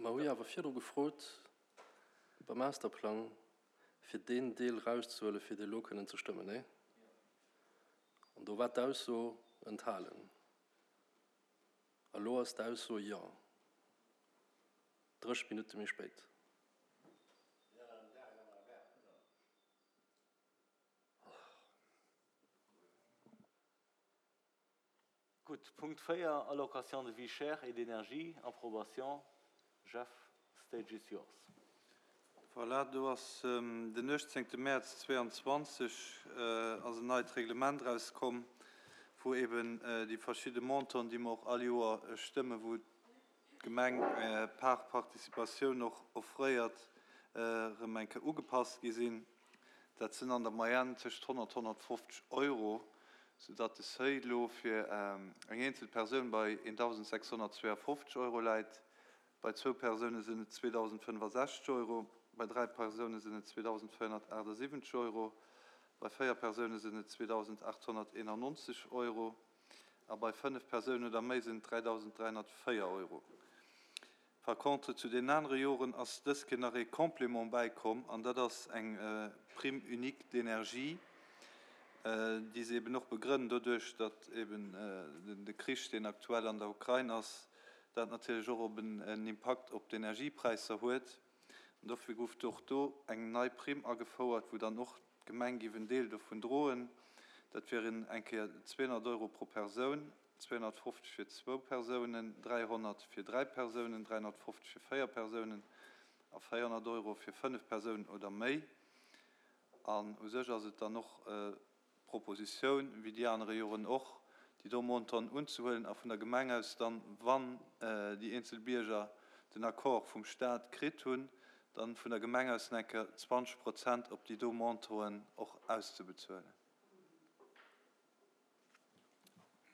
Mer hu jo awer virdru gefrot beim Masterplang, fir deen Deel erauszehuelen, fir dee elo kënnen ze stëmmen, nee? An do war d'Ausso enthalen. A lo ass d'Ausso jo. 30 Minutte méi spéit. Gutt, Punkt 4, Allocation de vie chère et d'énergie, approbation. Jeff, stage is yours. Voilà, do ass den 18 Mäerz 22 ass en neit Reglement erauskomm, wou eben déi verschidde Montanten, déi mer och all Joer stëmmen, wou d'Gemeng par Participatioun och offréiert, erëm eng Kéier ugepasst gi sinn. Dat sinn an der Moyenne tëscht 100, 150 Euro, soudatt de Seuil elo fir eng eenzel Persoun bei 1.652 Euro läit. Bei zwou Persoune sinn et 2.065 Euro, bei dräi Persoune sinn et 2.478 Euro, bei véier Persoune sinn et 2.891 Euro a bei fënnef Persounen oder méi sinn et 3.304 Euro. Par contre, zu deenen anere Joren ass dës Kéier nach ee Complément bäikomm, an dat ass eng Prime unique d'énergie, déi se eben och begrënnen doduerch, datt eben de Krich, deen aktuell an der Ukrain ass, dat natierlech och op en Impakt op d'Energiepräisser huet. An dofir gouf och do eng nei Primm agefouert, wou dann och d'Gemeng géif en Deel dovun droen. Dat wieren eng Kéier 200 Euro pro Persoun, 250 fir zwou Persounen, 300 fir dräi Persounen, 350 fir véier Persounen a 400 Euro fir fënnef Persounen oder méi. An u sech ass et dann och d'Propositioun, wéi déi anere Joren och, déi do Montanten unzehuelen a vun der Gemeng aus dann, wann déi eenzel Bierger den Accord vum Stat kritt hunn, dann vun der Gemeng aus nach eng Kéier 20 Prozent op déi do Montanten och auszebezuelen.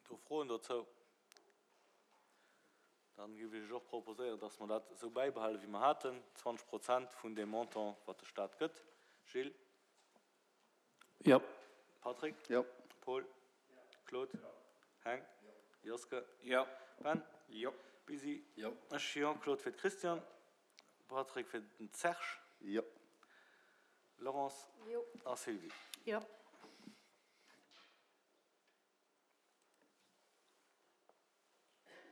Do Froen dozou? Dann géif ech Iech och proposéieren, dass mer dat esou bäibehalen, wéi mer haten, 20 Prozent vun deem Montant, wat de Stat gëtt. Gilles? Jo. Patrick? Jo. Paul? Claude? Heng? Joske? Jo. Ben? Jo. Busy? Jo. Ech jo. Claude fir d'Christiane. Patrick fir den Serge. Jo. Laurence? Jo. A Sylvie? Jo.